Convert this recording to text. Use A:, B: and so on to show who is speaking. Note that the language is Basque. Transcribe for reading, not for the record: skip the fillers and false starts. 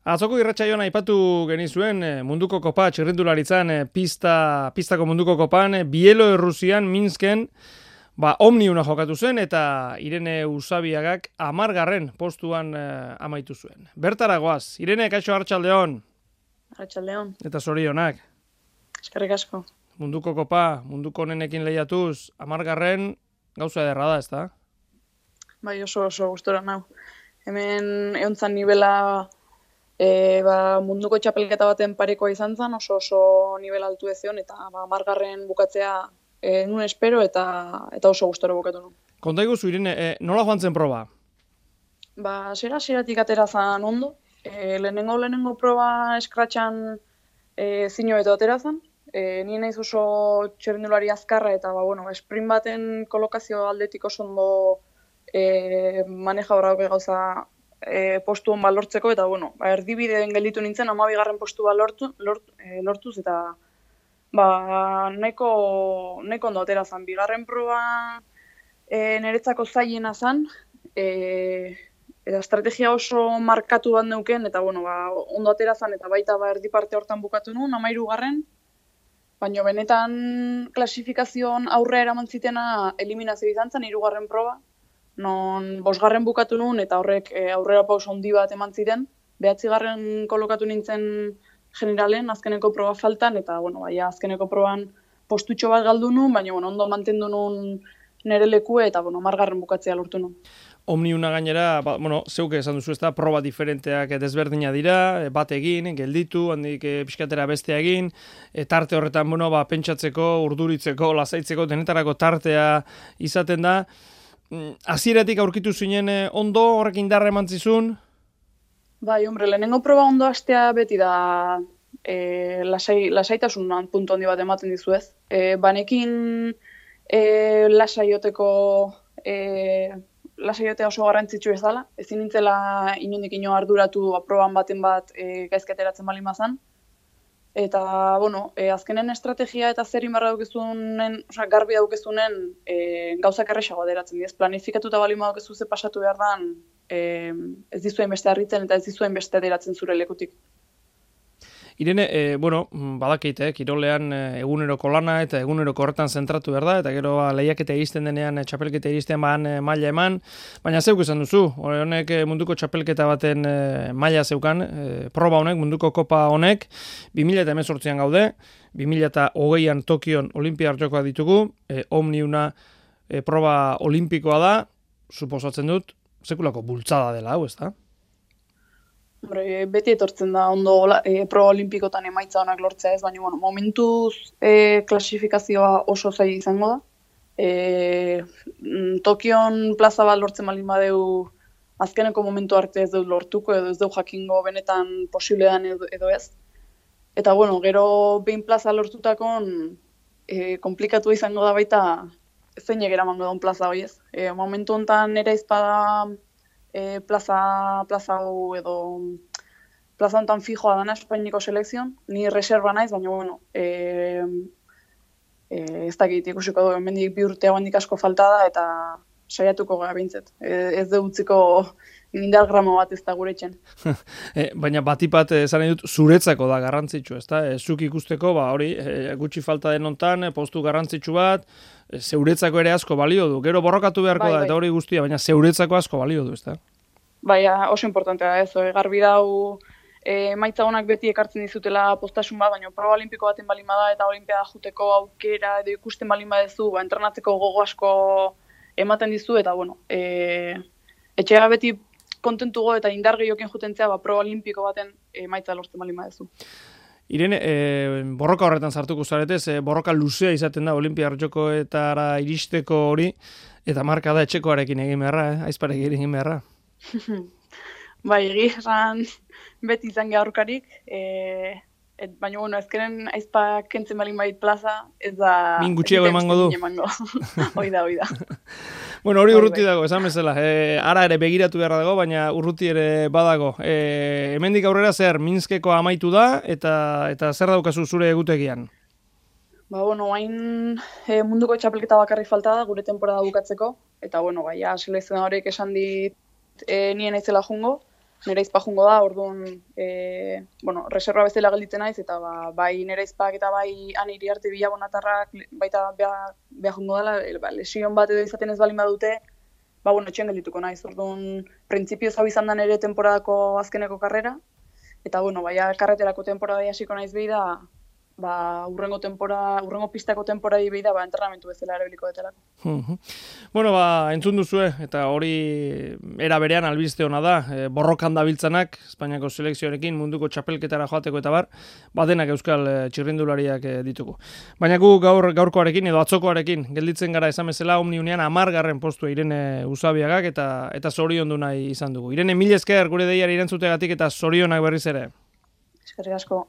A: Atzoko irratsaioan aipatu genizuen munduko kopa txirrindularitzan pistako munduko kopan Bielorrusian Minsken Omniuna jokatu zen eta Irene Usabiagak 10. postuan amaitu zuen. Bertara goaz, Irene, kaixo arratsaldeon.
B: Arratsaldeon.
A: Eta zorionak.
B: Eskerrik asko.
A: Munduko kopa, munduko onenekin lehiatuz, 10. gauza ederra da, ezta?
B: Bai, oso gustora nau. Hemen eontzan nivela munduko txapelketa baten parekoa izan zen, oso nivel altu ezion, eta 10. bukatzea nuen espero eta oso gustora bukatu nuen.
A: Konta iguzu, Irene, nola joan zen proba?
B: Zeratik atera zen ondo. Lehenengo proba eskratxan zinoeto atera zen. Ni naiz oso txirrindulari azkarra eta sprint baten kolokazio aldetik oso ondo maneja horra gauza postu hon lortzeko, eta erdibideen gelditu nintzen 12. postua lortuz, eta nahiko ondo atera zen. Bigarren proba niretzako zailena zen, eta estrategia oso markatu bat neuken, eta ondo atera zen, eta baita erdi parte hortan bukatu nuen, 13. Baina benetan klasifikazioan aurrea eraman zitena eliminazio izan zen, 3. proba, non 5. bukatu nuen, eta horrek aurrera pauso handi bat eman ziren. 9. kolokatu nintzen generalen, azkeneko proba faltan, eta azkeneko proban postutxo bat galdu nuen, baina ondo mantendu nuen nire lekue, eta 10. bukatzea lortu nuen.
A: Omniuna gainera, zeuke esan duzu, ezta, proba diferenteak desberdina dira, bat egin, gelditu, handik pixkatera beste egin, tarte horretan, pentsatzeko, urduritzeko, lasaitzeko, denetarako tartea izaten da. Hasieratik aurkitu zinen ondo, horrek indarra eman zizun?
B: Bai, lehenengo proba ondo hastea beti da lasaitasun puntu handi bat ematen dizu ez. Banekin lasaiotea oso garrantzitsu ez dela. Ezin nintzela inondik arduratu proban baten bat gaizkateratzen bali mazan. Eta, azkenen estrategia eta zer inbarra daukezunen, garbi daukezunen gauzak erresago aderatzen diez. Planifikatuta bali daukezu ze pasatu behar dan, ez dizuen beste harritzen eta ez dizuen beste aderatzen zure lekutik.
A: Irene, badakite, kirolean eguneroko lana eta eguneroko horretan zentratu behar da, eta gero lehiaketa iristen denean, txapelketa iristen maila eman, baina zeuk esan duzu, honek munduko txapelketa baten maila zeukan, proba honek, munduko kopa honek, 2018an gaude, 2020an Tokion Olinpiar Jokoak ditugu, Omniuna proba olimpikoa da, suposatzen dut, sekulako bultzada dela, hau ez da?
B: Beti etortzen da ondo proba olimpikotan emaitza honak lortzea ez, baina momentuz klasifikazioa oso zaila izango da. Tokion plaza bat lortzen baldin badeu azkeneko momentu arte ez dut lortuko edo ez dut jakingo benetan posiblean edo ez. Eta gero behin plaza lortutakon komplikatu izango da baita zeinek eramango daun plaza hori ez. Momentu honetan ere izpada plaza hau edo plaza honetan fijoa dana Espainiko selekzion, ni reserva naiz, baina ez dakit ikusiko du, hemendik 2 urte hauendik asko falta da, eta saiatuko gara bintzet. Ez de utziko indar gramo bat ez da gure etxen.
A: Baina batipat esan nahi dut, zuretzako da garrantzitsu, ezta? Zuk ikusteko, hori, gutxi falta den hontan, postu garrantzitsu bat, zeuretzako ere asko balio du. Gero borrokatu beharko da, eta hori guztia, baina zeuretzako asko balio du, ezta?
B: Bai, oso importantea da ez, garbi dau emaitza honak beti ekartzen dizutela postasun bat, baina proba olimpiko baten balin bada eta olimpiada juteko aukera edo ikusten balin badezu, entrenatzeko gogo asko ematen dizu, eta etxea beti kontentugo eta indar gehioken jutentzea proba olimpiko baten emaitza lortzen balin badezu.
A: Irene, borroka horretan sartuko zaretez, borroka luzea izaten da Olinpiar Jokoetara iristeko hori, eta marka da etxekoarekin egin beharra, aizparekin egin beharra.
B: Bai, esan beti izan aurkarik, baina ezkeren aizpa kentzen balin bait plaza, ez da...
A: Min gutxiago emango du.
B: Hoi da.
A: Hori urruti dago, esan bezala. Ara ere begiratu beharra dago, baina urruti ere badago. Hemendik aurrera zer, Minskeko amaitu da, eta zer daukazu zure egutegian?
B: Hain munduko txapelketa bakarrik falta da, gure temporada bukatzeko, eta selekzionadorek esan dit nien naizela jungo, nire izpa jungo da, orduan, bueno, reserva bezala gelditzen naiz, eta bai nire izpak eta bai han Iriarte Bilabonatarrak baita beha jungo dela, lesion bat edo izaten ez balin badute, bueno, etxean geldituko naiz, orduan, printzipioz hau izan da nire temporadako azkeneko karrera, eta, bueno, baina karreterako temporada hasiko naiz behi da, urrengo pistako temporadi behi da, entrenamentu bezala erabiliko detelako.
A: Bueno, entzun duzue, eta hori era berean albiste hona da, borrokan dabiltzanak, Espainiako selekzioarekin, munduko txapelketara joateko eta badenak euskal txirrindulariak ditugu. Baina gu gaurkoarekin edo atzokoarekin, gelditzen gara esan bezala, Omniunean 10. postua Irene Usabiagak eta zoriondu nahi izan dugu. Irene, mil esker gure deiari erantzutegatik eta zorionak berriz ere.
B: Eskerrik asko.